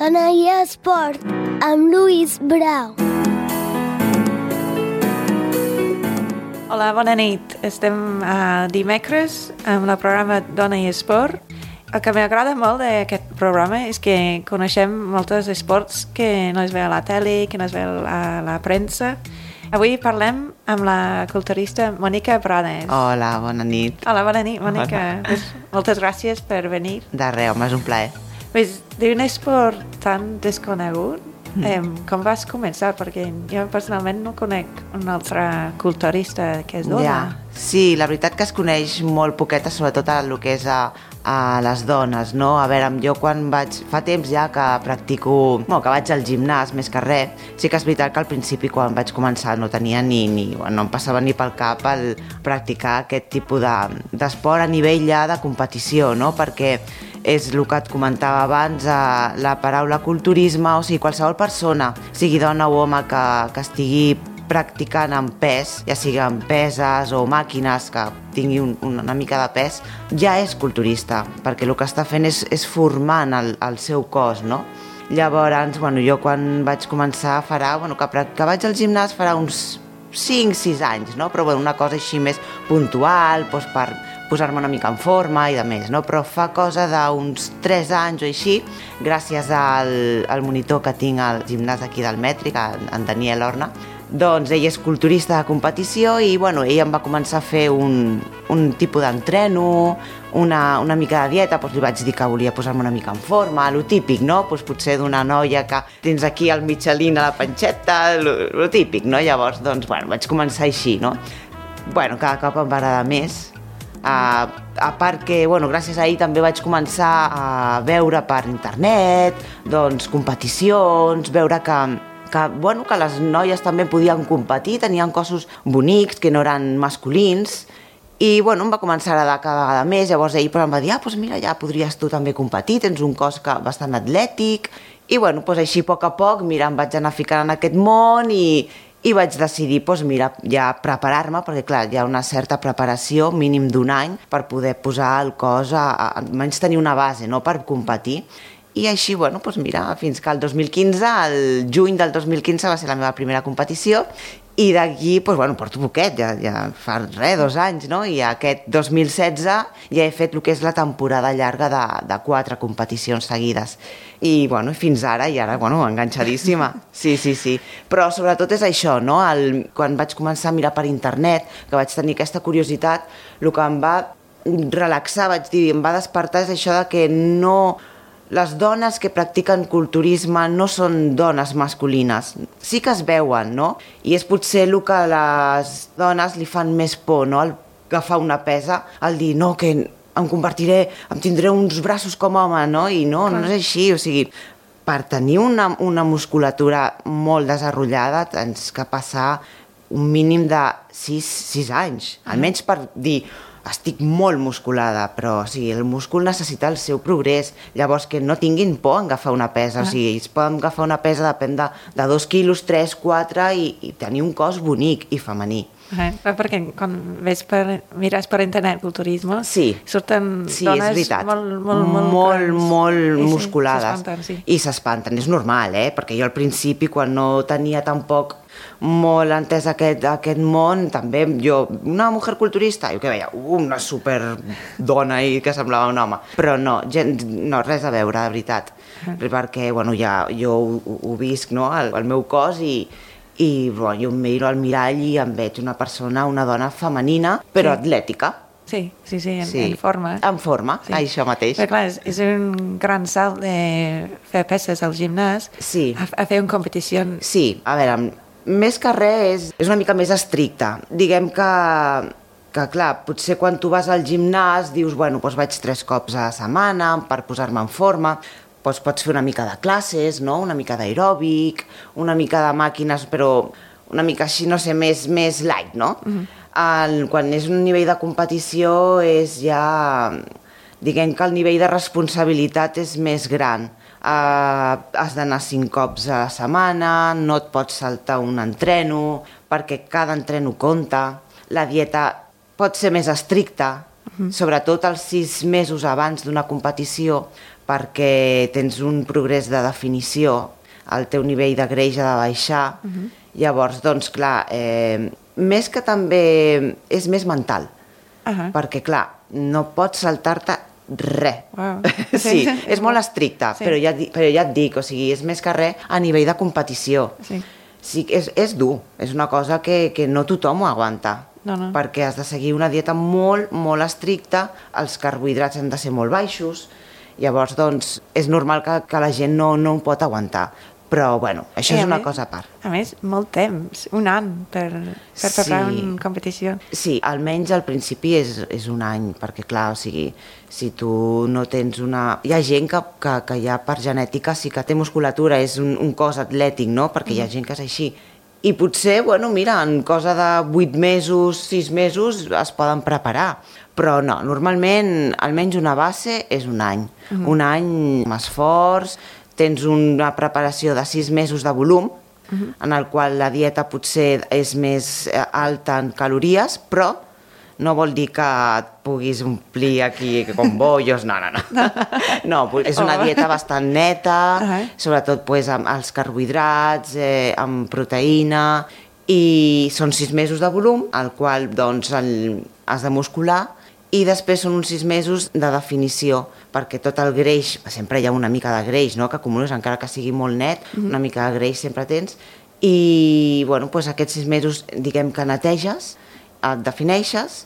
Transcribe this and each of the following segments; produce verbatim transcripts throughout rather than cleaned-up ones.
Dona i Esport, amb Lluís Brau. Hola, bona nit. Estem a dimecres amb el programa Dona i Esport. El que m'agrada molt d'aquest programa és que coneixem molts esports que no es veu a la tele, que no es veu a la premsa. Avui parlem amb la culturista Mònica Prades. Hola, bona nit. Hola, bona nit, Mònica. Pues, moltes gràcies per venir. De res, home, és un plaer. Pues, d'un esport tan desconegut, mm. eh, com vas començar? Perquè jo personalment no conec una altra culturista que és dona. Ja. Sí, la veritat que es coneix molt poqueta, sobretot a el que és a, a les dones, no? A veure, jo quan vaig... Fa temps ja que practico... Bueno, que vaig al gimnàs, més que res. Sí que és veritat que al principi, quan vaig començar, no tenia ni... ni bueno, no em passava ni pel cap el practicar aquest tipus de, d'esport a nivell ja de competició, no? Perquè és el que et comentava abans, eh, la paraula culturisme, o sigui, qualsevol persona, sigui dona o home, que, que estigui practicant amb pes, ja sigui amb peses o màquines que tingui un, una mica de pes, ja és culturista, perquè el que està fent és, és formant el, el seu cos, no? Llavors, bueno, jo quan vaig començar farà, bueno, que, que vaig al gimnàs farà uns cinc sis anys, no? Però bueno, una cosa així més puntual, doncs per posar-me una mica en forma i de més, no? Però fa cosa d'uns tres anys o així, gràcies al, al monitor que tinc al gimnàs aquí del Mètric, en Daniel Horna, doncs ell és culturista de competició i bueno, ell em va començar a fer un, un tipus d'entreno, una, una mica de dieta, doncs li vaig dir que volia posar-me una mica en forma, lo típic, no? Doncs potser d'una noia que tens aquí el Michelin a la panxeta, lo, lo típic, no? Llavors, doncs, bueno, vaig començar així, no? Bueno, cada cop em va agradar més. Uh, a part que, bueno, gràcies a ell també vaig començar a veure per internet, doncs, competicions, veure que que, bueno, que les noies també podien competir, tenien cossos bonics, que no eren masculins, i bueno, em va començar a agradar cada vegada més. Llavors ell però em va dir, ah, doncs mira, ja podries tu també competir, tens un cos que, bastant atlètic, i bueno, doncs així a poc a poc, mira, em vaig anar ficant en aquest món i, i vaig decidir, doncs mira, ja preparar-me, perquè clar, hi ha una certa preparació, mínim d'un any, per poder posar el cos, a, a, almenys tenir una base, no?, per competir. I així, bueno, doncs mira, fins que el dos mil quinze, el juny del dos mil quinze va ser la meva primera competició i d'aquí, doncs bueno, porto poquet, ja, ja fa res, dos anys, no? I aquest dos mil setze ja he fet el que és la temporada llarga de, de quatre competicions seguides. I, bueno, fins ara, i ara, bueno, enganxadíssima. Sí, sí, sí. Però sobretot és això, no? El, quan vaig començar a mirar per internet, que vaig tenir aquesta curiositat, el que em va relaxar, vaig dir, em va despertar és això de que no... Les dones que practiquen culturisme no són dones masculines. Sí que es veuen, no? I és potser el que a les dones li fan més por, no? El agafar una pesa, el dir, no, que em convertiré, em tindré uns braços com home, no? I no, no és així, o sigui, per tenir una, una musculatura molt desenvolupada tens que passar un mínim de sis anys, almenys per dir... Estic molt musculada, però o sigui, el múscul necessita el seu progrés. Llavors, que no tinguin por en agafar una pesa. Ah. O sigui, ells poden agafar una pesa, depèn de, de dos quilos, tres, quatre, i, i tenir un cos bonic i femení. Ah, perquè quan ves per, mires per internet culturisme, sí. surten sí, dones molt, molt, molt, molt, molt sí, musculades. Sí, sí. I s'espanten, és normal, eh? Perquè jo al principi, quan no tenia tampoc molt entès aquest, aquest món, també jo, una mujer culturista, jo que veia, una super dona i que semblava un home, però no, gent, no res a veure, de veritat, uh -huh. perquè bueno, ja, jo ho, ho visc, no?, el, el meu cos i, i bueno, jo em miro al mirall i em veig una persona, una dona femenina, però sí. atlètica. Sí, sí, sí, en, sí, en forma. En forma, sí. Això mateix. Però clar, és, és un gran salt de fer peces al gimnàs sí. a, a fer una competició. Sí, a veure, més que res és, és una mica més estricta. Diguem que, que, clar, potser quan tu vas al gimnàs dius, bueno, doncs vaig tres cops a la setmana per posar-me en forma, doncs pots fer una mica de classes, no?, una mica d'aeròbic, una mica de màquines, però una mica així, no sé, més, més light, no? Uh-huh. El, quan és un nivell de competició és ja... Diguem que el nivell de responsabilitat és més gran. Uh, has d'anar cinc cops a la setmana, no et pots saltar un entreno, perquè cada entreno compta, la dieta pot ser més estricta, Uh-huh. Sobretot els sis mesos abans d'una competició, perquè tens un progrés de definició, el teu nivell de greix ha de baixar. Uh-huh. Llavors, doncs, clar, eh, més que també és més mental, uh-huh. perquè, clar, no pots saltar-te res. Wow. Sí, és molt estricte, sí. però, ja, però ja et dic, o sigui, és més que res a nivell de competició. Sí. Sí, és, és dur, és una cosa que, que no tothom ho aguanta, no, no. perquè has de seguir una dieta molt, molt estricta, els carbohidrats han de ser molt baixos, llavors, doncs, és normal que, que la gent no, no ho pot aguantar. Però, bueno, això és una cosa a part. A més, molt temps, un any per, per preparar sí. una competició. Sí, almenys al principi és, és un any, perquè, clar, o sigui, si tu no tens una... Hi ha gent que, que, que ja per genètica sí que té musculatura, és un, un cos atlètic, no? Perquè mm. hi ha gent que és així. I potser, bueno, mira, en cosa de vuit mesos, sis mesos es poden preparar. Però no, normalment, almenys una base és un any. Mm. Un any amb esforç, tens una preparació de sis mesos de volum, uh-huh. en el qual la dieta potser és més alta en calories, però no vol dir que et puguis omplir aquí com bollos, no, no, no. No, és una dieta bastant neta, uh-huh. sobretot pues, amb els carbohidrats, eh, amb proteïna, i són sis mesos de volum, al qual doncs, el, has de muscular, i després són uns sis mesos de definició, perquè tot el greix, sempre hi ha una mica de greix, no?, que acumules, encara que sigui molt net, mm-hmm. una mica de greix sempre tens, i bueno, doncs aquests sis mesos, diguem que neteges, et defineixes,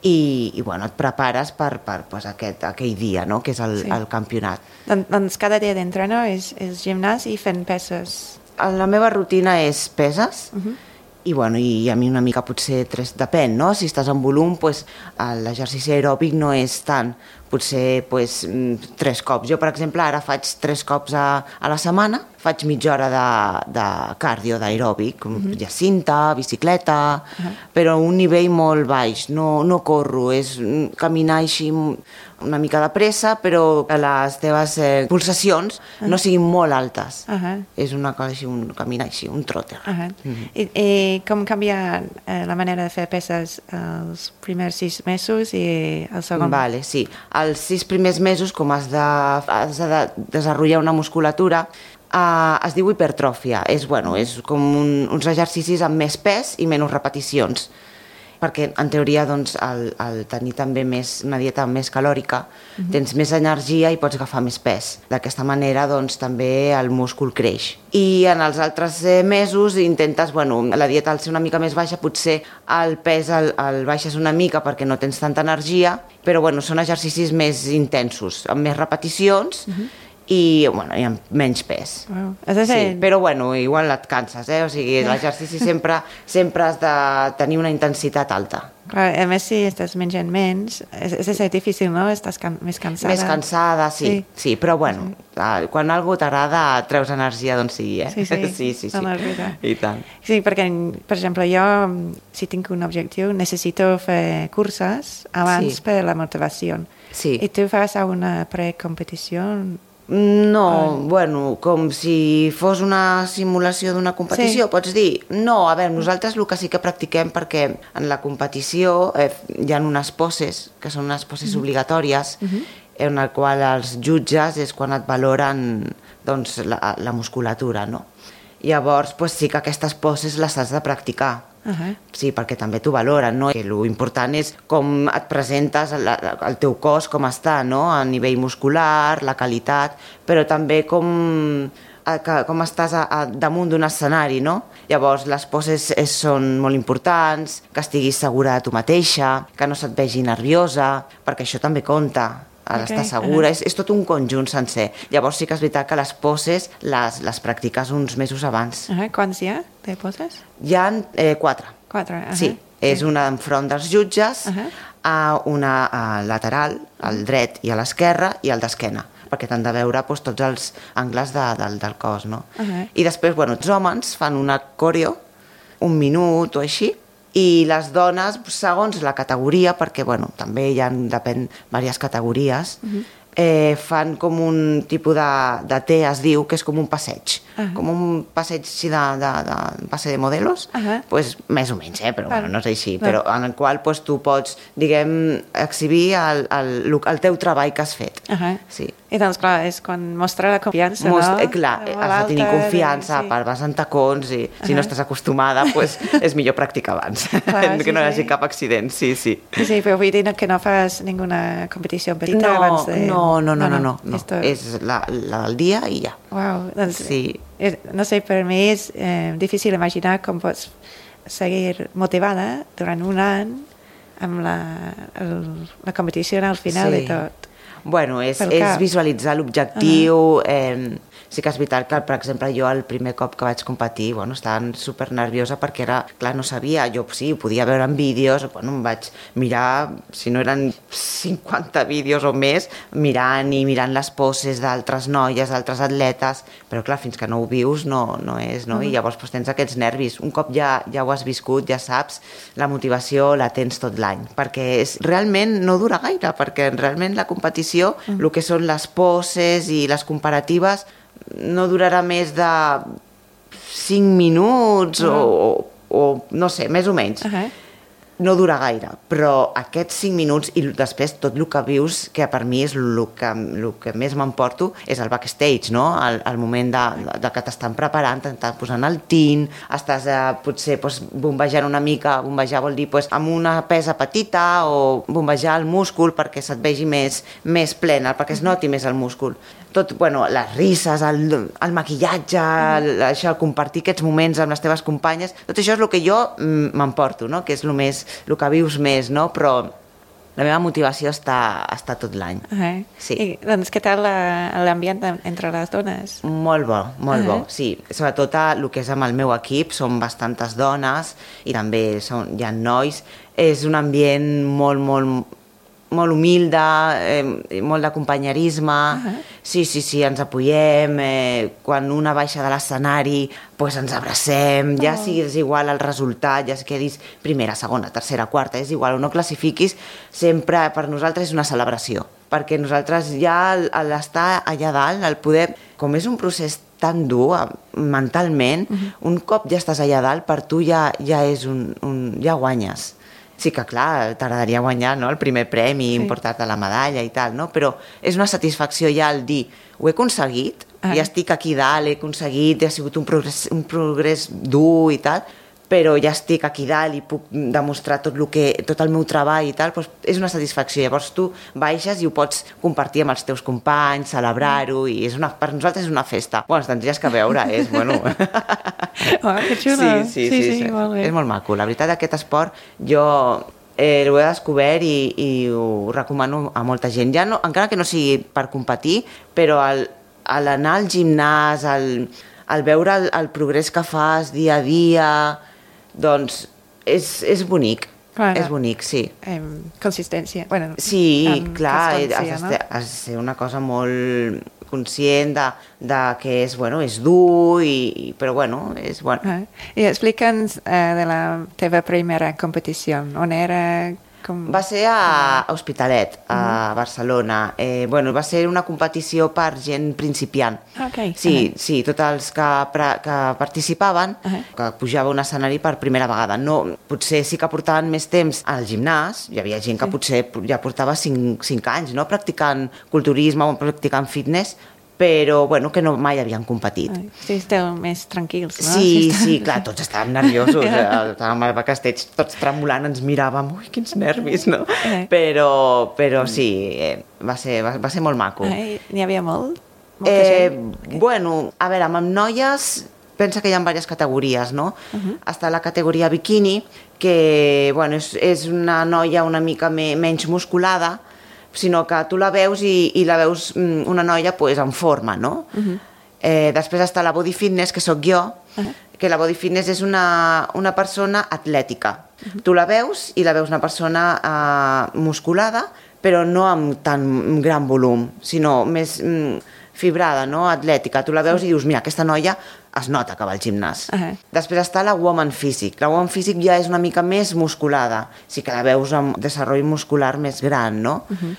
i, i bueno, et prepares per, per pues, aquest, aquell dia, no?, que és el, sí. el campionat. Don, doncs cada dia d'entreno és, és gimnàs i fent peses? La meva rutina és peses, mm-hmm. i, bueno, i a mi una mica potser tres, depèn, no? Si estàs en volum, pues, l'exercici aeròbic no és tant, potser pues, tres cops. Jo, per exemple, ara faig tres cops a, a la setmana, faig mitja hora de, de cardio, d'aeròbic, uh-huh. jacinta, bicicleta, uh-huh. però a un nivell molt baix, no, no corro, és caminar així una mica de pressa, però que les teves eh, pulsacions uh-huh. no siguin molt altes. Uh-huh. És una cosa així, un caminar així, un trotter. Uh-huh. Uh-huh. I, I com canvia eh, la manera de fer peses els primers sis mesos i el segon? Vale, sí. Els sis primers mesos, com has de, has de desenvolupar una musculatura, Uh, es diu hipertròfia. És, bueno, és com un, uns exercicis amb més pes i menys repeticions. Perquè, en teoria, doncs, al, al tenir també més, una dieta més calòrica, uh-huh. tens més energia i pots agafar més pes. D'aquesta manera, doncs, també el múscul creix. I en els altres mesos intentes, bueno, la dieta al ser una mica més baixa, potser el pes el, el baixes una mica perquè no tens tanta energia, però, bueno, són exercicis més intensos, amb més repeticions, uh-huh. i, bueno, i amb menys pes. Wow. Sí, però bueno, igual et canses, eh? O sigui, l'exercici sempre, sempre has de tenir una intensitat alta. Clar, a més, si estàs menjant menys, és, és ser difícil, no? Estàs can, més cansada. Més cansada, sí, sí, sí, però bueno, sí. Quan algú t'agrada, treus energia d'on sigui, eh? Sí, sí, sí, sí, sí. No, no, I tant. Sí, perquè, per exemple, jo, si tinc un objectiu, necessito fer curses abans sí. per la motivació. Sí. I tu fas una precompetició? No, oh. bueno, com si fos una simulació d'una competició, sí. Pots dir? No, a veure, nosaltres el que sí que practiquem, perquè en la competició eh, hi ha unes poses, que són unes poses mm-hmm. obligatòries, mm-hmm. en el qual els jutges és quan et valoren doncs, la, la musculatura, no? Llavors, pues, sí que aquestes poses les has de practicar. Uh-huh. Sí, perquè també t'ho valoren, no? Que l'important és com et presentes el, el teu cos, com està, no? A nivell muscular, la qualitat, però també com, a, com estàs a, a, damunt d'un escenari, no? Llavors, les poses és, són molt importants, que estiguis segura de tu mateixa, que no se't vegi nerviosa, perquè això també compta. A okay. Estar segura, uh-huh. és, és tot un conjunt sencer. Llavors sí que és veritat que les poses les, les practiques uns mesos abans. Uh-huh. Quants hi ha de poses? Hi ha eh, quatre. Quatre, uh-huh. Sí, és sí. Una enfront dels jutges, uh-huh. a una a lateral, al dret i a l'esquerra, i al d'esquena, perquè t'han de veure doncs, tots els angles de, del, del cos, no? Uh-huh. I després, bueno, els homes fan una coreo, un minut o així, i les dones, segons la categoria, perquè bueno, també hi ha, depèn, diverses categories, uh-huh. eh, fan com un tipus de, de té, es diu, que és com un passeig. Uh -huh. Com un passeig així de, de, de, de passe de modelos, uh -huh. pues, més o menys, eh? Però bueno, no és així, però en el qual pues, tu pots, diguem, exhibir el, el, el teu treball que has fet. Uh -huh. Sí. I doncs, clar, és quan mostra la confiança, Most, no? Eh, clar, has de tenir confiança, sí. Per vas en tacons i si uh -huh. no estàs acostumada, pues, és millor practicar abans, clar, que sí, no hi hagi sí. cap accident, sí, sí. Sí, sí, però vull dir que no fas ninguna competició petita no, abans de... No, no, no, no, no, no. no. Esto... és la, la del dia i ja. Uau, doncs, sí. és, no sé, per mi és eh, difícil imaginar com pots seguir motivada durant un any amb la, el, la competició al final sí. de tot. Bueno, és, és visualitzar l'objectiu. Uh -huh. eh, sí que és veritat que, per exemple, jo el primer cop que vaig competir, bueno, estava super nerviosa perquè era, clar, no sabia, jo sí, ho podia veure en vídeos, bueno, em vaig mirar, si no eren cinquanta vídeos o més, mirant i mirant les poses d'altres noies, d'altres atletes, però clar, fins que no ho vius no, no és, no? Uh -huh. I llavors pues, tens aquests nervis. Un cop ja, ja ho has viscut, ja saps, la motivació la tens tot l'any, perquè és, realment no dura gaire, perquè realment la competició Uh-huh. el que són les poses i les comparatives no durarà més de cinc minuts uh-huh. o, o no sé, més o menys. Uh-huh. No dura gaire, però aquests cinc minuts i després tot el que vius, que per mi és el que, el que més m'emporto, és el backstage, no? El, el moment de, de que t'estan preparant, t'estan posant el tint, estàs eh, potser pues, bombejant una mica, bombejar vol dir pues, amb una pesa petita o bombejar el múscul perquè se't vegi més, més plena, perquè es noti més el múscul. Tot, bueno, les risses, el, el maquillatge, el, això, el compartir aquests moments amb les teves companyes, tot això és el que jo m'emporto, no? Que és el, més, el que vius més, no? Però la meva motivació està, està tot l'any. Uh -huh. Sí. I, doncs, què tal l'ambient entre les dones? Molt bo, molt uh -huh. bo, sí. Sobretot el que és amb el meu equip, són bastantes dones i també són, hi ha nois. És un ambient molt, molt molt humilde, eh, molt de companyerisme, uh-huh. sí, sí, sí, ens apoyem, eh, quan una baixa de l'escenari pues ens abracem, ja oh. sigui és igual el resultat, ja quedis primera, segona, tercera, quarta, és igual, o no classifiquis, sempre per nosaltres és una celebració, perquè nosaltres ja l'estar allà dalt, el poder, com és un procés tan dur mentalment, uh-huh. un cop ja estàs allà dalt, per tu ja, ja és un, un, ja guanyes. Sí que, clar, t'agradaria guanyar, no?, el primer premi, sí. Emportar-te la medalla i tal, no? Però és una satisfacció ja el dir, ho he aconseguit, ah. ja estic aquí dalt, he aconseguit, ha sigut un progrés, un progrés dur i tal, però ja estic aquí dalt i puc demostrar tot, lo que, tot el meu treball i tal, doncs és una satisfacció. Llavors tu baixes i ho pots compartir amb els teus companys, celebrar-ho, i és una, per nosaltres és una festa. Bueno, tindries que veure, és, bueno... Oh, que xulo. Sí, sí, sí, sí, sí, sí. Molt bé. És molt maco. La veritat, aquest esport jo eh, l'ho he descobert i, i ho recomano a molta gent. Ja no, encara que no sigui per competir, però al, al anar al gimnàs, al, al veure el, el progrés que fas dia a dia, doncs és, és bonic. Claro. És bonic, sí. Um, consistència. Bueno, sí, clar, has, no? has de ser una cosa molt conscient de, de que és, bueno, és dur, i, però bueno, és bueno. Uh, I explica'ns uh, de la teva primera competició. On era? Com... Va ser a Hospitalet, a uh-huh. Barcelona. Eh, bueno, va ser una competició per gent principiant. Okay. Sí, uh-huh. sí, tots els que, que participaven, uh-huh. que pujava a un escenari per primera vegada. No, potser sí que portaven més temps al gimnàs, hi havia gent que sí. potser ja portava cinc, cinc anys, no?, practicant culturisme o practicant fitness, però bueno, que no mai havien competit. Ai, sí, esteu més tranquils, no? Sí, sí, sí, clar, tots estàvem nerviosos, estàvem al backstage, tots tremolant, ens miràvem, ui, quins nervis, no? Però, però sí, eh, va, ser, va, va ser molt maco. Ai, n'hi havia molt? Molta eh, gent? Bueno, a veure, amb noies, pensa que hi ha diverses categories, no? Uh-huh. Està la categoria bikini, que bueno, és, és una noia una mica me, menys musculada, sinó que tu la veus i, i la veus una noia pues, en forma, no? Uh-huh. eh, després està la body fitness, que sóc jo, uh-huh. que la body fitness és una, una persona atlètica. Uh-huh. Tu la veus i la veus una persona eh, musculada, però no amb tan gran volum, sinó més mm, fibrada, no? Atlètica. Tu la veus i dius, mira, aquesta noia es nota que va al gimnàs. Uh-huh. Després està la woman physique. La woman physique ja és una mica més musculada. Sí que la veus amb desenvolupament muscular més gran, no? Uh-huh.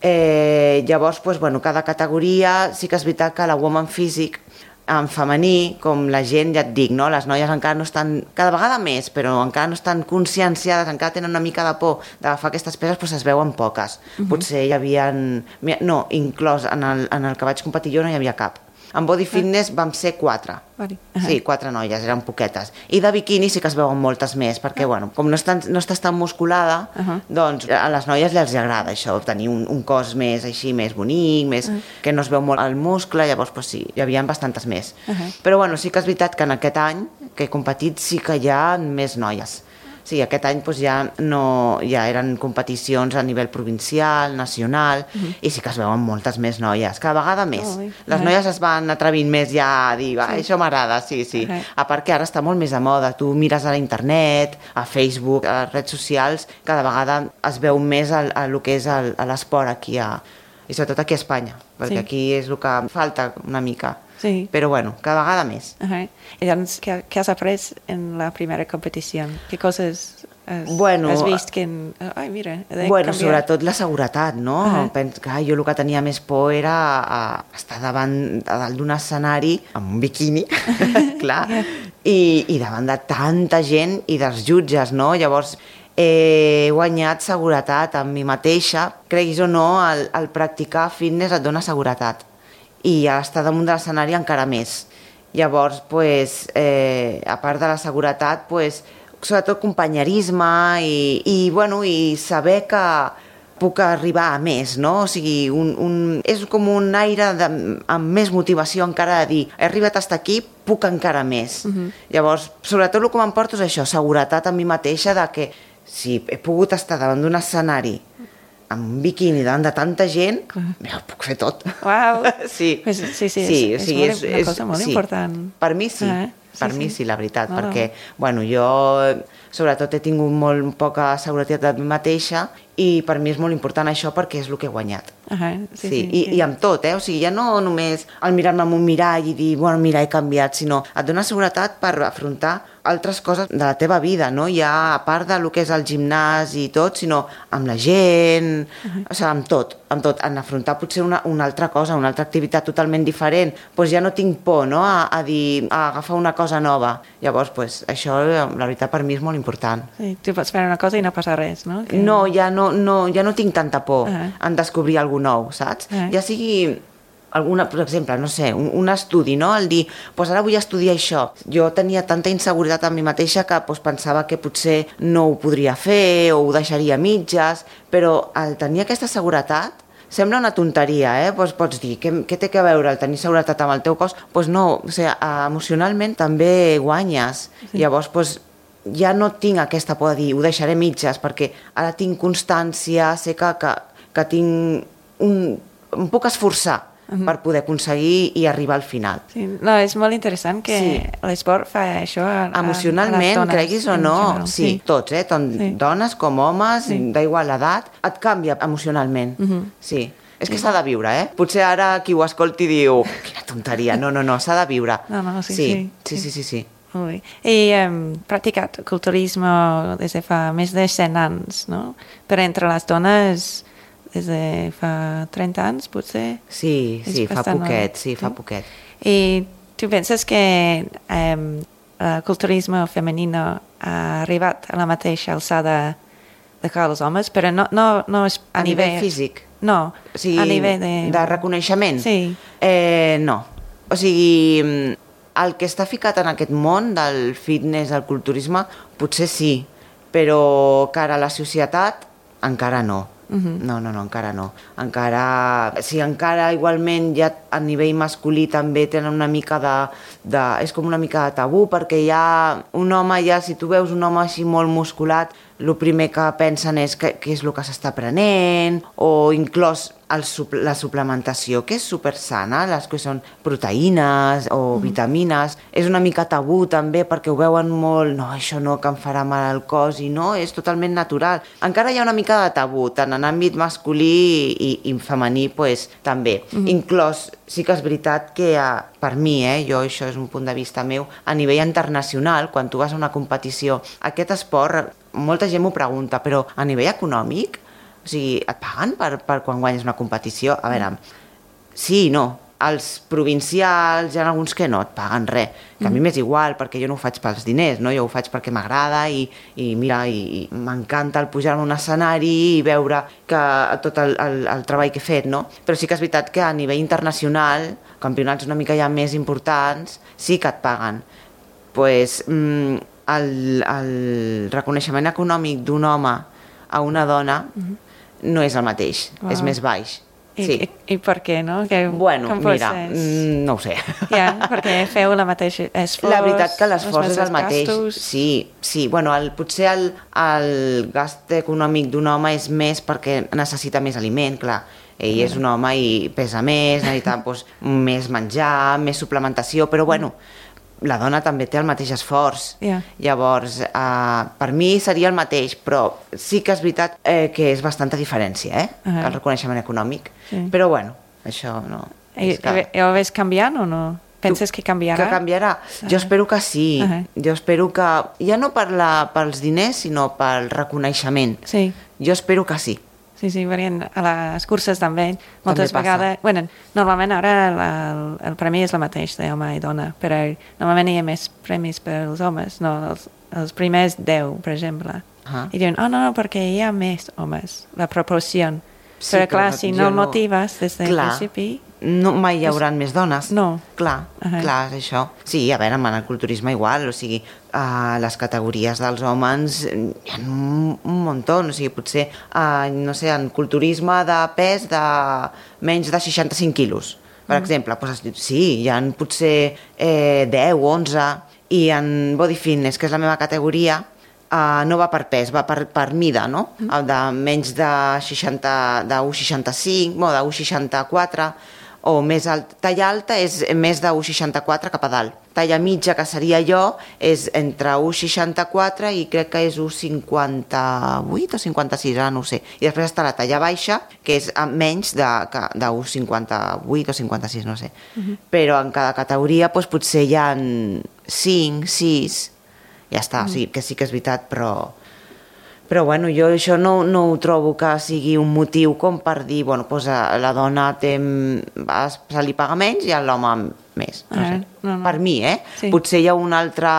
Eh, llavors, doncs, bueno, cada categoria, sí que és veritat que la Woman Physique en femení, com la gent, ja et dic, no? Les noies encara no estan, cada vegada més, però encara no estan conscienciades, encara tenen una mica de por d'agafar aquestes peses, però es veuen poques. Uh-huh. Potser hi havia... No, inclòs en el, en el que vaig competir jo no hi havia cap. En Body Fitness vam ser quatre. Uh-huh. Sí, quatre noies, eren poquetes. I de biquini sí que es veuen moltes més, perquè, uh-huh. bueno, com no, estan, no estàs tan musculada, uh-huh. doncs a les noies els agrada això, tenir un, un cos més així, més bonic, més, uh-huh. que no es veu molt el muscle, llavors pues, sí, hi havia bastantes més. Uh-huh. Però bueno, sí que és veritat que en aquest any que he competit sí que hi ha més noies. Sí, aquest any doncs, ja, no, ja eren competicions a nivell provincial, nacional, uh-huh. i sí que es veuen moltes més noies, cada vegada més. Oh, les uh-huh. noies es van atrevint més ja a dir, sí. això m'agrada, sí, sí. Uh-huh. A part que ara està molt més a moda, tu mires a la internet, a Facebook, a les redes socials, cada vegada es veu més el, el que és l'esport aquí, a, i sobretot aquí a Espanya, perquè sí. aquí és el que falta una mica. Sí. Però bueno, cada vegada més. Uh-huh. I doncs, què, què has après en la primera competició? Què coses has, bueno, has vist que... Ai, mira, he de bueno, canviar. sobretot la seguretat, no? Uh-huh. Penso que jo el que tenia més por era a estar davant a dalt d'un escenari amb un biquini, clar, yeah. i, i davant de tanta gent i dels jutges, no? Llavors, he guanyat seguretat amb mi mateixa. Creguis o no, el, el practicar fitness et dona seguretat. I estar damunt de l'escenari encara més. Llavors, pues, eh, a part de la seguretat, pues, sobretot companyerisme i, i, bueno, i saber que puc arribar a més, no? O sigui, un, un, és com un aire de, amb més motivació encara de dir he arribat fins aquí, puc encara més. Uh-huh. Llavors, sobretot el que m'emporto és això, seguretat a mi mateixa de que si he pogut estar davant d'un escenari amb un biquini davant de tanta gent, ja ho puc fer tot. Uau! Sí, pues, sí, sí, sí, és, o sigui, és, és una cosa molt sí. important. Per mi sí, eh? per sí, mi sí. sí, la veritat, no, perquè, no. bueno, jo sobretot he tingut molt poca seguretat de mi mateixa i per mi és molt important això perquè és el que he guanyat. Uh -huh, sí, sí, sí, i, sí. i amb tot, eh? O sigui, ja no només al mirar-me en un mirall i dir, bueno, mira, he canviat, sinó et dona seguretat per afrontar altres coses de la teva vida, no? Ja a part del que és el gimnàs i tot, sinó amb la gent, uh-huh. o sigui, amb tot, amb tot, en afrontar potser una, una altra cosa, una altra activitat totalment diferent, doncs ja no tinc por, no?, a, a dir, a agafar una cosa nova. Llavors, doncs, això, la veritat, per mi és molt important. Sí, tu pots fer una cosa i no passa res, no? Que... No, ja no, no, ja no tinc tanta por uh-huh. en descobrir alguna nou, saps? Uh-huh. Ja sigui alguna, per exemple, no sé, un, un estudi, no? El dir, doncs ara vull estudiar això. Jo tenia tanta inseguretat en mi mateixa que doncs, pensava que potser no ho podria fer o ho deixaria a mitges, però al tenir aquesta seguretat sembla una tonteria, eh? Pues pots dir, què, què té que veure el tenir seguretat amb el teu cos? Doncs pues no, o sigui, emocionalment també guanyes. Sí. Llavors, doncs, ja no tinc aquesta por de dir, ho deixaré a mitges, perquè ara tinc constància, sé que, que, que tinc un... em puc esforçar uh-huh. per poder aconseguir i arribar al final. Sí, no, és molt interessant que sí. l'esport fa això a, a, emocionalment, a les dones, creguis o no, general, sí, sí, tots, eh? Tant sí. dones com homes, sí. d'igual l'edat, et canvia emocionalment, uh-huh. sí. És que s'ha de viure, eh? Potser ara qui ho escolti diu, quina tonteria, no, no, no, s'ha de viure. No, no, sí, sí. sí. Sí, sí, sí, sí. Molt bé. I hem um, practicat culturisme des de fa més de cent anys, no? Però entre les dones des de fa trenta anys, potser? Sí, sí, fa poquet, sí, fa poquet. I tu penses que um, el culturisme femení ha arribat a la mateixa alçada de que els homes, però no, no, no és a, a nivell... nivell físic? No, o sigui, a nivell de... de reconeixement? Sí. Eh, no. O sigui, el que està ficat en aquest món del fitness, del culturisme, potser sí, però cara a la societat encara no. Uh-huh. No, no, no, encara no. Encara, sí, encara igualment ja a nivell masculí també tenen una mica de, de... és com una mica de tabú, perquè ja un home, ja si tu veus un home així molt musculat, el primer que pensen és què és el que s'està prenent, o inclòs el, la suplementació, que és supersana, les que són proteïnes o mm. vitamines, és una mica tabú també perquè ho veuen molt, no, això no, que em farà mal al cos, i no, és totalment natural. Encara hi ha una mica de tabú, tant en àmbit masculí i, i femení, pues, també. Mm. Inclòs, sí que és veritat que per mi, eh, jo això és un punt de vista meu, a nivell internacional, quan tu vas a una competició, aquest esport, molta gent m'ho pregunta, però a nivell econòmic, o O sigui, et paguen per, per quan guanyes una competició? A veure, sí i no. Els provincials, hi ha alguns que no et paguen res, que a mi m'és igual perquè jo no ho faig pels diners, no? Jo ho faig perquè m'agrada i, i mira, i, i m'encanta el pujar a un escenari i veure que tot el, el, el treball que he fet, no? Però sí que és veritat que a nivell internacional, campionats una mica ja més importants, sí que et paguen. Pues, mm, el, el reconeixement econòmic d'un home a una dona no és el mateix, Wow. és més baix. I, Sí. i, I per què, no? Que, Bueno, com pot mira, ser? mm, no ho sé. Ja, perquè feu la mateixa esforç... La veritat que l'esforç els és el mateix. gastos. Sí, sí. Bueno, el, potser el, el gast econòmic d'un home és més perquè necessita més aliment, clar. Ell és un home i pesa més, necessita doncs, més menjar, més suplementació, però bueno, la dona també té el mateix esforç. Yeah. Llavors, eh, per mi seria el mateix, però sí que és veritat eh, que és bastanta diferència, eh? Uh-huh. El reconeixement econòmic. Sí. Però bueno, això no... I, és que- i, ho ves canviant o no? Penses que canviarà? Que canviarà? Jo espero que sí. Uh-huh. Jo espero que... Ja no per la, pels diners, sinó pel reconeixement. Sí. Jo espero que sí. Sí, sí, perquè a les curses també, moltes passa. vegades... Bueno, normalment ara el, el, el premi és el mateix d'home i dona, però normalment hi ha més premis per als homes, no? Els, els primers deu, per exemple. Ah. I diuen, oh, no, no, perquè hi ha més homes, la proporció. Sí, però, clar, però si jo no no- motives des del Clar. principi... No, mai hi haurà més dones. No. Clar, Ahà. clar, és això. Sí, a veure, en el culturisme igual, o sigui, a les categories dels homes hi ha un, un muntó, o sigui, potser, eh, no sé, en culturisme de pes de menys de seixanta-cinc quilos, per exemple, doncs, sí, hi ha potser eh, deu, onze, i en body fitness, que és la meva categoria, Uh, no va per pes, va per, per mida, no? Mm. De menys de seixanta, de u coma seixanta-cinc, o de u coma seixanta-quatre, o més alt. Talla alta és més de u coma seixanta-quatre cap a dalt. Talla mitja, que seria jo, és entre u coma seixanta-quatre i crec que és u coma cinquanta-vuit o cinquanta-sis, ara no ho sé. I després està la talla baixa, que és menys de, de u coma cinquanta-vuit o cinquanta-sis, no sé. Mm-hmm. Però en cada categoria doncs, potser hi ha cinc, sis... Ja està, mm. sí, que sí que és veritat, però... Però bueno, jo això no, no ho trobo que sigui un motiu com per dir, bueno, doncs la dona té, se li paga menys i a l'home més. No Ah, sé. no, no. Per mi, eh? Sí. Potser hi ha un altre...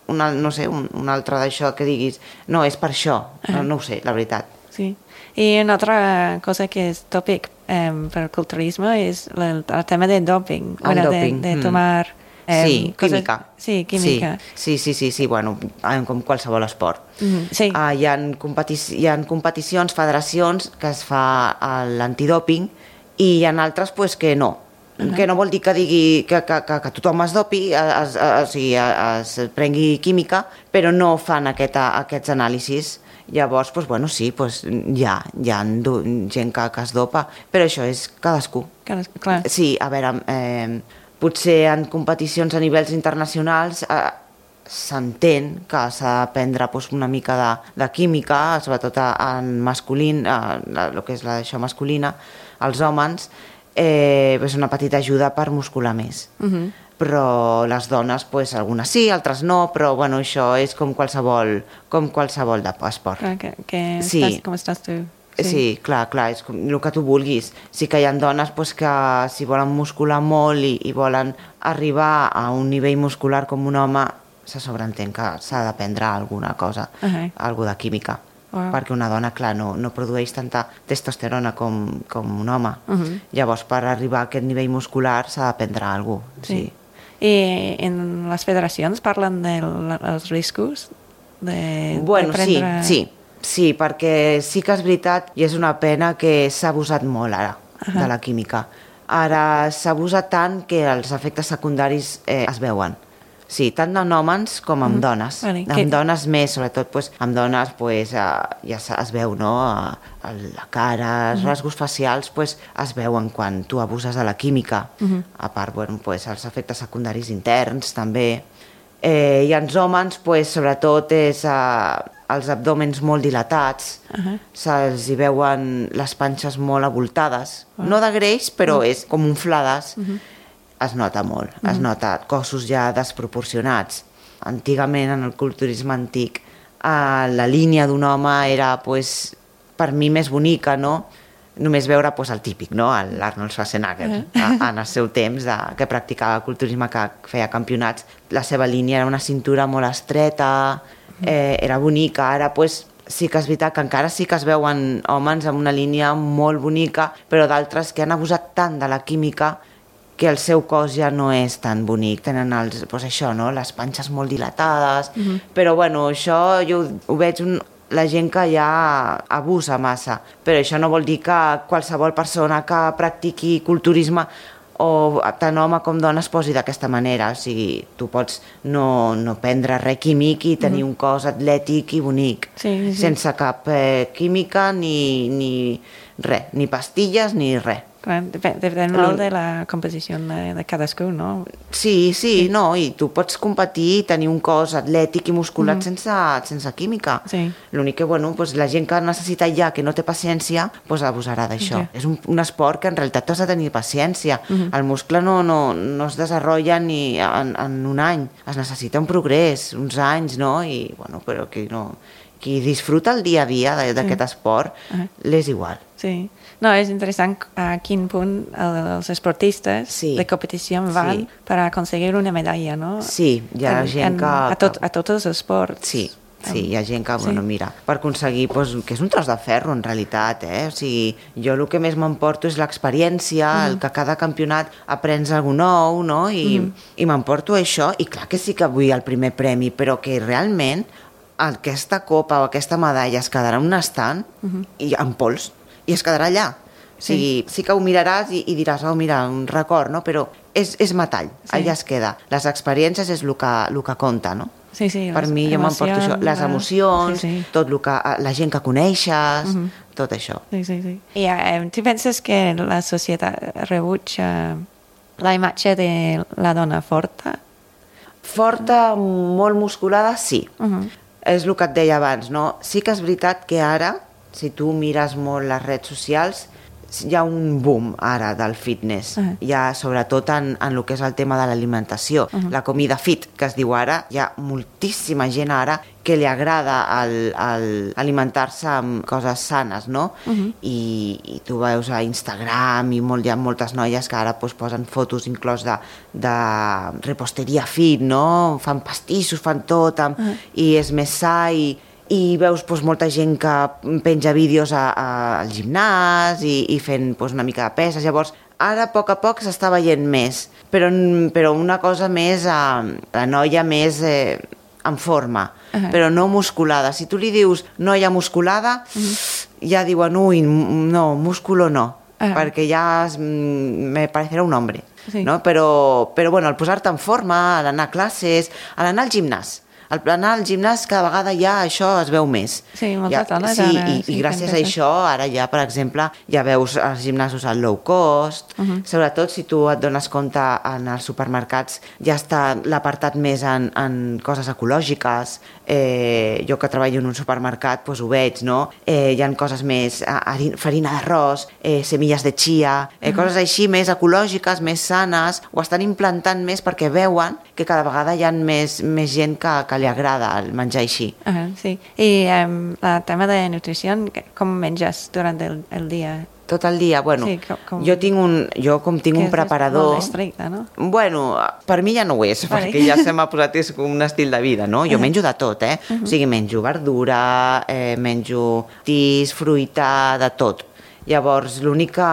Una, no sé, un, un altre d'això que diguis, no, és per això, no, no ho sé, la veritat. Sí. I una altra cosa que és tòpic eh, per el culturisme és el, el tema de doping. El bueno, doping, De, de mm. tomar... Eh, Sí, coses- química. Sí, química. Sí, sí, sí, sí, bueno, com qualsevol esport. Mm, sí. Uh, hi, ha competis hi ha competicions, federacions, que es fa l'antidòping i hi ha altres pues, que no. Uh-huh. Que no vol dir que digui que, que, que, que tothom es dopi, es, es, o sigui, es, es prengui química, però no fan aquest, aquests anàlisis. Llavors, pues, bueno, sí, pues, hi ha, hi ha gent que, que es dopa, però això és cadascú. Clar, clar. Sí, a veure, eh, potser en competicions a nivells internacionals eh, s'entén que s'ha d'aprendre pues, una mica de, de química, sobretot en masculín, eh, el que és la d'això masculina, els homes, eh, és una petita ajuda per muscular més. Uh-huh. Però les dones, pues, algunes sí, altres no, però bueno, això és com qualsevol, com qualsevol de esport. Clar, que, que Sí. estàs, com estàs tu? Sí. sí, clar, clar, és com el que tu vulguis. Sí que hi ha dones pues, que si volen muscular molt i, i volen arribar a un nivell muscular com un home, se sobreentén que s'ha d'aprendre alguna cosa, Uh-huh. alguna de química. Wow. Perquè una dona, clar, no, no produeix tanta testosterona com, com un home. Uh-huh. Llavors, per arribar a aquest nivell muscular s'ha d'aprendre alguna cosa. Sí. I en les federacions parlen dels riscos de, Bueno, de prendre... sí, sí. Sí, perquè sí que és veritat i és una pena que s'ha abusat molt ara Uh-huh. de la química. Ara s'ha abusat tant que els efectes secundaris eh, es veuen. Sí, tant en homes com en Mm. dones. Vale, Amb que- dones més, sobretot pues, amb dones pues, eh, ja es, es veu, no? A, a la cara, els rasgos facials pues, es veuen quan tu abuses de la química. A part, bueno, pues, els efectes secundaris interns també. Eh, I els homes, pues, sobretot, és eh, els abdòmens molt dilatats, Uh-huh. se'ls hi veuen les panxes molt abultades, no de greix, però és com inflades. Es nota molt, es nota cossos ja desproporcionats. Antigament, en el culturisme antic, eh, la línia d'un home era pues, per mi més bonica, no? Només veure pues, el típic, no? l'Arnold Schwarzenegger, uh-huh. en el seu temps, de, que practicava culturisme, que feia campionats. La seva línia era una cintura molt estreta, eh, era bonica. Ara pues, sí que és veritat que encara sí que es veuen homes amb una línia molt bonica, però d'altres que han abusat tant de la química que el seu cos ja no és tan bonic. Tenen els, pues això, no? Les panxes molt dilatades, uh-huh. però bueno, això jo ho, ho veig un, la gent que ja abusa massa, però això no vol dir que qualsevol persona que practiqui culturisme o tant home com dona es posi d'aquesta manera. O sigui, tu pots no, no prendre res químic i tenir mm-hmm. un cos atlètic i bonic, sí, sí. sense cap eh, química ni, ni res, ni pastilles ni res. Clar, depèn, depèn molt de la composició de, de cadascú, no? Sí, sí, sí, no, i tu pots competir i tenir un cos atlètic i musculat mm-hmm. sense, sense química. Sí. L'únic que, bueno, pues, la gent que necessita ja, que no té paciència, pues, abusarà d'això. Okay. És un, un esport que en realitat tu has de tenir paciència. Mm-hmm. El muscle no, no, no es desenvolupa ni en, en un any. Es necessita un progrés, uns anys, no? I, bueno, però que no... Qui disfruta el dia a dia d'aquest sí. esport, uh-huh. l'és igual. Sí. No, és interessant a quin punt els esportistes sí. de competició van sí. per aconseguir una medalla, no? Sí, hi ha en, gent en, que... A, tot, a tots els esports. Sí, sí, hi ha gent que, bueno, sí. mira, per aconseguir, pues, que és un tros de ferro, en realitat, eh? O sigui, jo el que més m'emporto és l'experiència, uh-huh. el que cada campionat aprens alguna nou, no? I, uh-huh. i m'emporto això, i clar que sí que vull el primer premi, però que realment aquesta copa o aquesta medalla es quedarà en un estant uh-huh. i en pols, i es quedarà allà. O sigui, sí. sí que ho miraràs i, i diràs, oh, mira, un record, no? Però és, és metall, sí. allà es queda. Les experiències és el que, el que compta, no? Sí, sí, per mi jo m'emporto això, les emocions, sí, sí. tot el que, la gent que coneixes, uh-huh. tot això. Sí, sí, sí. I eh, tu penses que la societat rebutja la imatge de la dona forta? Forta, molt musculada, sí. Uh-huh. És el que et deia abans, no? Sí que és veritat que ara, si tu mires molt les redes socials, hi ha un boom ara del fitness, uh-huh. hi ha sobretot en, en el que és el tema de l'alimentació, uh-huh. la comida fit, que es diu ara, hi ha moltíssima gent ara que li agrada el, el alimentar-se amb coses sanes, no? Uh-huh. I, i tu veus a Instagram i molt, hi ha moltes noies que ara pues, posen fotos inclòs de, de reposteria fit, no? Fan pastissos, fan tot, amb, uh-huh. i és més sa i i veus pues, molta gent que penja vídeos a, a, al gimnàs i, i fent pues, una mica de peses. Llavors, ara a poc a poc s'està veient més, però, però una cosa més, eh, la noia més eh, en forma, uh-huh. però no musculada. Si tu li dius noia musculada, uh-huh. ja diuen, ui, no, músculo no, uh-huh. perquè ja es, me parecerà un hombre. Sí. No? Però, però bueno, al posar-te en forma, a l'anar a classes, a l'anar al gimnàs, al anar al gimnàs cada vegada ja això es veu més. Sí, moltes ja, dones sí, ara... I, sí, i gràcies a això ara ja, per exemple, ja veus els gimnasos al low cost, uh-huh. sobretot si tu et dones compte en els supermercats ja està l'apartat més en, en coses ecològiques. Eh, jo que treballo en un supermercat doncs ho veig, no? Eh, hi ha coses més, farina d'arròs, eh, semilles de chia, eh, uh-huh. coses així més ecològiques, més sanes, ho estan implantant més perquè veuen que cada vegada hi ha més, més gent que, que li agrada el menjar així. Uh-huh, sí. I um, el tema de nutrició, com menges durant el, el dia? Tot el dia? Bueno, sí, com, com... jo tinc un, jo com tinc un preparador... És molt estricte, no? Bueno, per mi ja no ho és, vale. Perquè ja se m'ha posat és com un estil de vida, no? Jo uh-huh. menjo de tot, eh? Uh-huh. O sigui, menjo verdura, eh, menjo tis, fruita, de tot. Llavors, l'únic que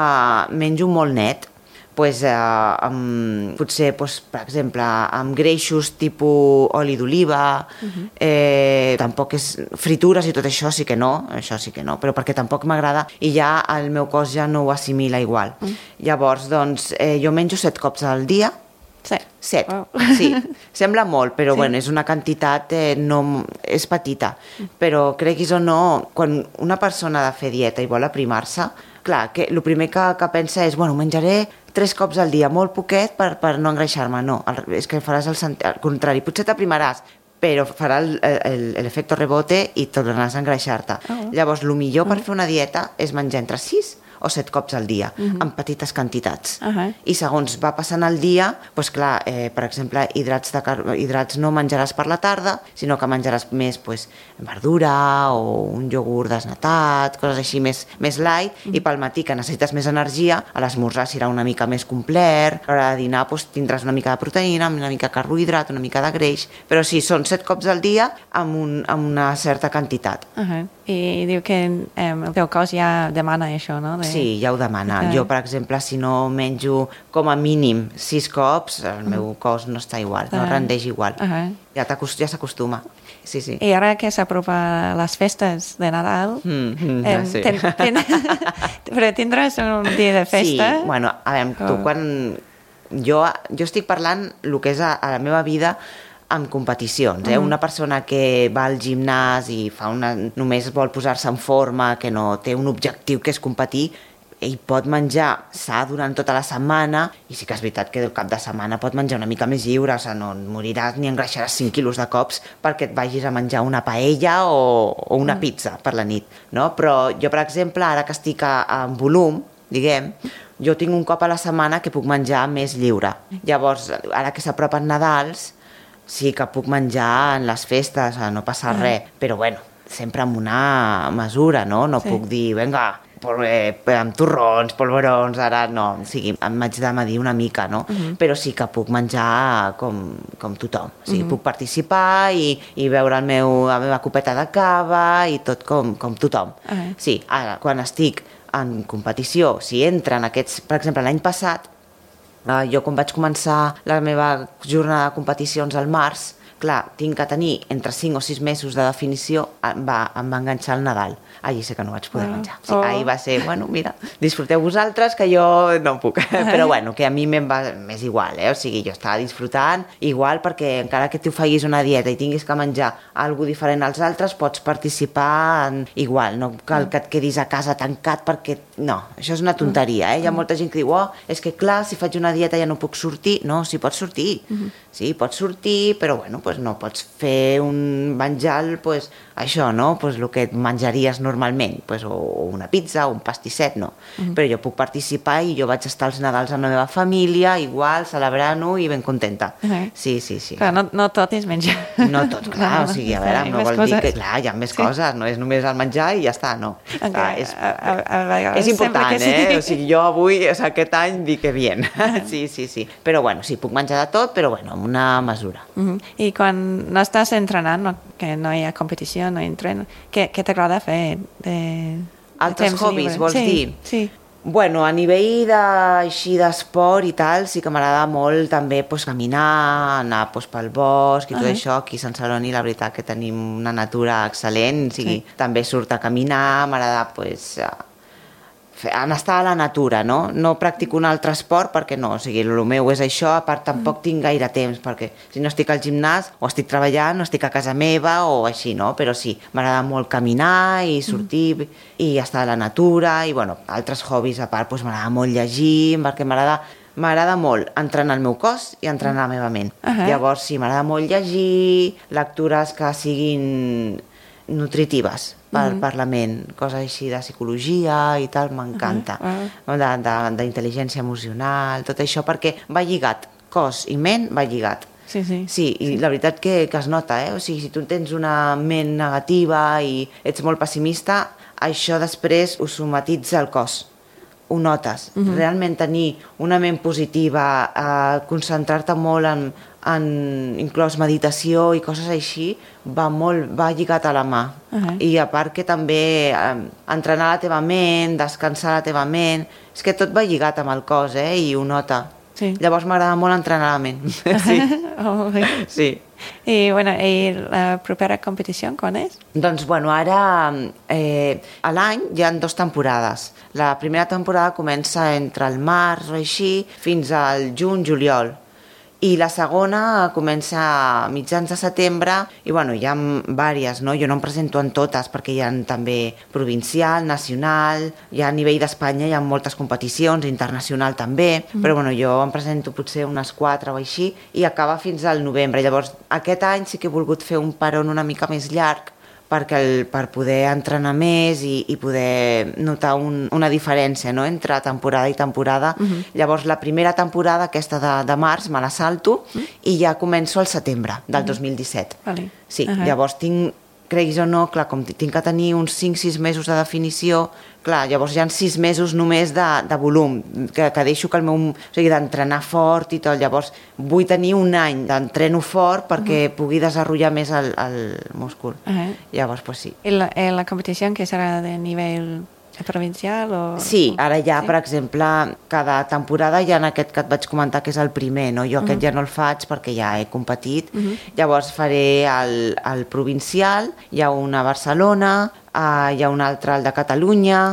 menjo molt net, pues, eh, amb, potser, pues, per exemple, amb greixos tipus oli d'oliva, uh-huh. eh, tampoc és fritures i tot això sí que no, això sí que no, però perquè tampoc m'agrada i ja el meu cos ja no ho assimila igual. Uh-huh. Llavors, doncs, eh, jo menjo set cops al dia. Set? Set, wow. sí. Sembla molt, però sí. bueno, és una quantitat, eh, no, és petita. Uh-huh. Però creguis o no, quan una persona ha de fer dieta i vol aprimar-se, clar, que el primer que, que pensa és, bueno, menjaré tres cops al dia, molt poquet per, per no engreixar-me. No, és que faràs el, el contrari. Potser t'aprimaràs, però farà l'efecte rebote i tornaràs a engreixar-te. Oh. Llavors, el millor per fer una dieta és menjar entre sis o set cops al dia, uh-huh. en petites quantitats. Uh-huh. I segons va passant el dia, doncs clar, eh, per exemple, hidrats, de car... hidrats no menjaràs per la tarda, sinó que menjaràs més doncs, verdura o un iogurt desnatat, coses així més, més light, uh-huh. i pel matí, que necessites més energia, a l'esmorzar serà una mica més complet, a l'hora de dinar doncs, tindràs una mica de proteïna, una mica de carbohidrat, una mica de greix, però sí, són set cops al dia amb, un, amb una certa quantitat. Uh-huh. I diu que eh, el teu cos ja demana això, no? De... Sí, ja ho demana. Uh-huh. Jo, per exemple, si no menjo com a mínim sis cops, el uh-huh. meu cos no està igual, no uh-huh. rendeix igual. Uh-huh. Ja, ja s'acostuma. Sí, sí. I ara que s'apropa les festes de Nadal, mm, mm, eh, sí. ten, ten, però tindràs un dia de festa? Sí, bueno, a veure, tu oh. quan... Jo, jo estic parlant el que és a, a la meva vida amb competicions, eh? Uh-huh. Una persona que va al gimnàs i fa una, només vol posar-se en forma, que no té un objectiu que és competir, ell pot menjar sa durant tota la setmana, i sí que és veritat que el cap de setmana pot menjar una mica més lliure, o sigui, no moriràs ni engreixaràs cinc quilos de cops perquè et vagis a menjar una paella o, o una pizza per la nit, no? Però jo, per exemple, ara que estic a, a, en volum, diguem, jo tinc un cop a la setmana que puc menjar més lliure. Llavors, ara que s'apropen Nadals, sí que puc menjar en les festes, no passa res, però bueno, sempre amb una mesura, no? No sí. puc dir, vinga, amb torrons, polvorons, ara no, o sigui, em vaig de medir una mica, no? Uh-huh. Però sí que puc menjar com, com tothom, o sigui, uh-huh. puc participar i, i beure el meu, la meva copeta de cava i tot com, com tothom. Uh-huh. Sí, ara, quan estic en competició, si entren aquests, per exemple, l'any passat, eh, jo quan vaig començar la meva jornada de competicions al març, clar, tinc que tenir entre cinc o sis mesos de definició, em va, em va enganxar el Nadal. Allí sé que no vaig poder oh. menjar. Sí, oh. ahir va ser, bueno, mira, disfruteu vosaltres, que jo no puc. Però bueno, que a mi me'n va més igual, eh? O sigui, jo estava disfrutant igual perquè encara que tu facis una dieta i tinguis que menjar alguna diferent als altres, pots participar en... igual, no cal que et quedis a casa tancat perquè... No, això és una tonteria, eh? Hi ha molta gent que diu, oh, és que clar, si faig una dieta ja no puc sortir. No, sí, pots sortir. Uh-huh. Sí, pots sortir, però bueno, pues no pots fer un menjar, pues, això, no? Pues el que et menjaries normalment, pues, o una pizza o un pastisset, no. Uh-huh. Però jo puc participar i jo vaig estar als Nadals amb la meva família, igual, celebrant-ho i ben contenta. Uh-huh. Sí, sí, sí. Clar, no, no tot és menjar. No tot, clar, no, o sigui, a veure, no vol dir que, clar, hi ha més sí. coses, no és només el menjar i ja està, no. Okay. Clar, és, a, a, a és important, sí. eh? O sigui, jo avui, o sigui, aquest any, dic que bien. Uh-huh. Sí, sí, sí. Però bueno, sí, puc menjar de tot, però bueno, amb una mesura. Uh-huh. I quan no estàs entrenant, no, que no hi ha competició, no hi entreno, què, què t'agrada fer? De, Altres de hobbies, lliure? vols sí, dir? Sí. Bueno, a nivell de, així d'esport i tal, sí que m'agrada molt també pues, caminar, anar pues, pel bosc i tot uh-huh. això. Aquí a Sant Celoni la veritat que tenim una natura excel·lent, o sigui, sí. també surt a caminar, m'agrada pues, en estar a la natura, no? No practico un altre esport perquè no, o sigui, el meu és això, a part tampoc tinc gaire temps, perquè si no estic al gimnàs o estic treballant o estic a casa meva o així, no? Però sí, m'agrada molt caminar i sortir mm. i estar a la natura i, bueno, altres hobbies a part, doncs m'agrada molt llegir, perquè m'agrada m'agrada molt entrenar el meu cos i entrenar la meva ment. Uh-huh. Llavors, sí, m'agrada molt llegir, lectures que siguin nutritives per, uh-huh. per la ment, coses així de psicologia i tal, m'encanta. Uh-huh. Uh-huh. D'intel·ligència emocional, tot això, perquè va lligat, cos i ment va lligat. Sí, sí. Sí, i sí. La veritat que, que es nota, eh? O sigui, si tu tens una ment negativa i ets molt pessimista, això després ho somatitza el cos. Ho notes. Uh-huh. Realment tenir una ment positiva, eh, concentrar-te molt en, en inclòs meditació i coses així, va molt, va lligat a la mà. Uh-huh. I a part que també eh, entrenar la teva ment, descansar la teva ment, és que tot va lligat amb el cos, eh? I ho nota. Sí. Llavors m'agrada molt entrenar la ment. Sí. Oh, sí. Sí. I, bueno, i la propera competició, quan és? Doncs, bueno, ara eh, a l'any hi ha dues temporades. La primera temporada comença entre el març o així fins al juny-juliol. I la segona comença a mitjans de setembre i, bueno, hi ha diverses, no? Jo no em presento en totes perquè hi ha també provincial, nacional, hi ha a nivell d'Espanya, hi ha moltes competicions, internacional també, mm. però, bueno, jo em presento potser unes quatre o així i acaba fins al novembre. Llavors, aquest any sí que he volgut fer un peron una mica més llarg perquè el, per poder entrenar més i, i poder notar un, una diferència, no?, entre temporada i temporada. Uh-huh. Llavors, la primera temporada, aquesta de, de març, me la salto uh-huh. i ja començo al setembre del uh-huh. dos mil disset. Vale. Sí, uh-huh. llavors tinc, creguis o no, clar, com tinc que tenir uns cinc sis mesos de definició, clar, llavors hi ha sis mesos només de, de volum, que, que deixo que el meu... O sigui, d'entrenar fort i tot. Llavors, vull tenir un any d'entreno fort perquè uh-huh. pugui desenvolupar més el, el múscul. Uh-huh. Llavors, pues sí. I la, eh, la competició que serà de nivell provincial o... Sí, ara ja, sí? per exemple, cada temporada hi ha aquest que et vaig comentar que és el primer, no? Jo aquest uh-huh. ja no el faig perquè ja he competit. Uh-huh. Llavors faré el, el provincial, hi ha un a Barcelona, uh, hi ha un altre, el de Catalunya.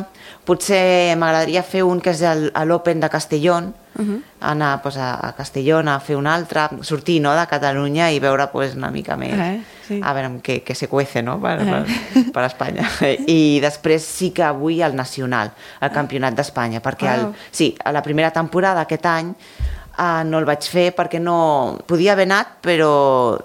Potser m'agradaria fer un que és l'Open de Castellón, uh-huh. anar pues, a, a Castellón a fer un altre, sortir, no?, de Catalunya i veure pues, una mica més, uh-huh. sí. a veure què, què se cuece, no?, per, uh-huh. per, per Espanya. I després sí que vull el nacional, el campionat d'Espanya, perquè el, sí, a la primera temporada aquest any Uh, no el vaig fer perquè no... Podia haver anat, però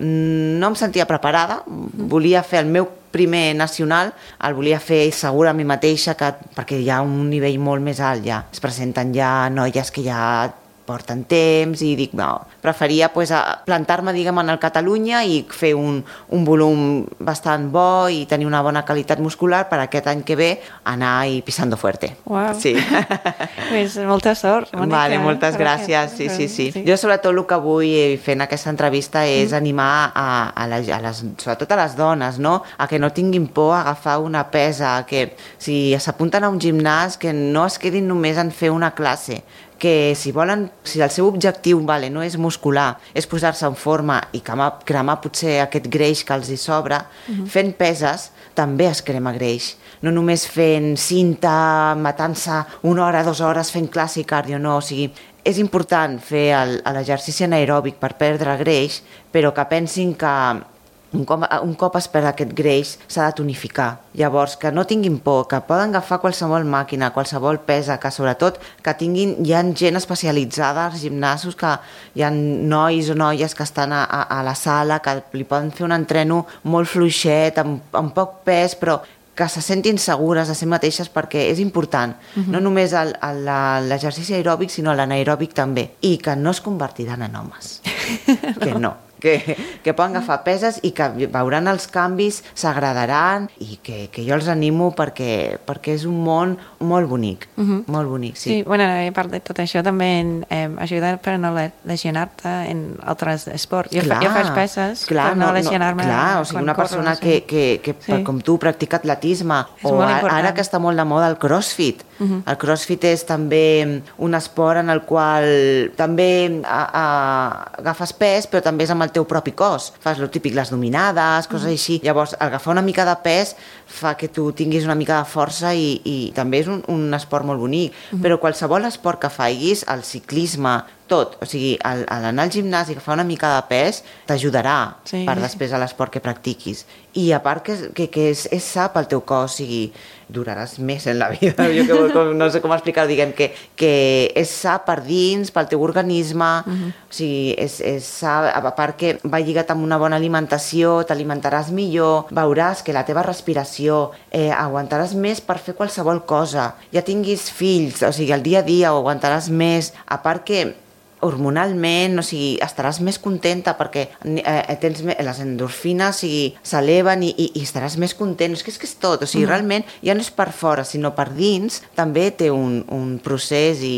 no em sentia preparada. Volia fer el meu primer nacional, el volia fer segura a mi mateixa, que, perquè hi ha un nivell molt més alt ja. Es presenten ja noies que ja porten temps i dic, no, preferia pues, plantar-me, diguem, en el Catalunya i fer un, un volum bastant bo i tenir una bona qualitat muscular per aquest any que ve anar i pisando fuerte. Uau. Sí. Pues molta sort, Mònica. Vale, moltes gràcies. Sí, sí, sí, sí. Jo sobretot el que vull fer en aquesta entrevista és mm. animar a, a, les, a les, sobretot a les dones, no?, a que no tinguin por a agafar una pesa, que si s'apunten a un gimnàs que no es quedin només en fer una classe, que si volen, si el seu objectiu vale, no és muscular, és posar-se en forma i cremar, cremar potser aquest greix que els hi sobra, uh-huh. fent peses també es crema greix. No només fent cinta, matant-se una hora, dues hores fent classe i cardio, no, o sigui, és important fer l'exercici anaeròbic per perdre greix, però que pensin que un cop, un cop es perd aquest greix s'ha de tonificar. Llavors, que no tinguin por, que poden agafar qualsevol màquina, qualsevol pesa, que sobretot que tinguin, hi ha gent especialitzada als gimnasos, que hi ha nois o noies que estan a, a, a la sala, que li poden fer un entreno molt fluixet, amb, amb poc pes, però que se sentin segures de si mateixes, perquè és important, uh-huh. no només l'exercici aeròbic, sinó l'anaeròbic també, i que no es convertiran en homes, no. que no. Que, que poden agafar peses i que veuran els canvis, s'agradaran i que, que jo els animo perquè, perquè és un món molt bonic, uh-huh. molt bonic, sí. Sí, bueno, a part de tot això també eh, ajuda per no lesionar-te en altres esports. Jo, clar, fa, jo faig peses clar, per no, no lesionar-me. Clar, o sigui, una corro, persona sí. que, que, que sí. com tu practica atletisme, és o ara, ara que està molt de moda el crossfit. Uh-huh. El crossfit és també un esport en el qual també a, a, agafes pes, però també és amb el teu propi cos. Fas el típic, les dominades, coses mm. així. Llavors, agafar una mica de pes fa que tu tinguis una mica de força i, i també és un, un esport molt bonic. Mm. Però qualsevol esport que faiguis, el ciclisme, tot, o sigui, al, al anar al gimnàs i agafar una mica de pes t'ajudarà sí. per després a l'esport que practiquis. I a part que, que, que és, és sa pel teu cos, o sigui, duraràs més en la vida, jo que, com, no sé com explicar-ho, diguem, que, que és sa per dins, pel teu organisme, uh-huh. o sigui, és, és sa, a part que va lligat amb una bona alimentació, t'alimentaràs millor, veuràs que la teva respiració, eh, aguantaràs més per fer qualsevol cosa, ja tinguis fills, o sigui, el dia a dia ho aguantaràs més, a part que hormonalment, o sigui, estaràs més contenta perquè eh, tens més, les endorfines o sigui, s'eleven i, i, i estaràs més content. És que és, que és tot, o sigui, mm. realment ja no és per fora, sinó per dins, també té un, un procés i,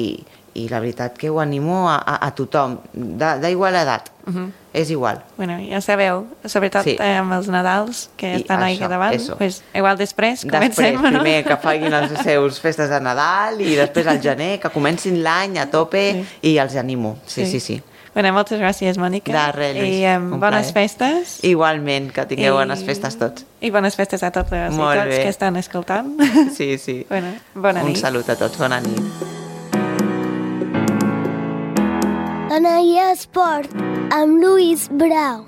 i la veritat que ho animo a, a, a tothom, d'igual edat. Uh-huh. És igual. Bueno, ja sabeu, sobretot sí. eh, amb els Nadals, que I estan ahí davant, pues, igual després comencem, després, no? Primer que facin les seus festes de Nadal i després al gener, que comencin l'any a tope sí. i els animo. Sí, sí, sí. sí. Bueno, moltes gràcies, Mònica. De res, Lluís. I um, bones plaer. festes. Igualment, que tingueu I... bones festes tots. I bones festes a tots els tots que estan escoltant. Sí, sí. Bueno, bona Un nit. Un salut a tots, bona nit. Anaia Esport, amb Lluís Brau.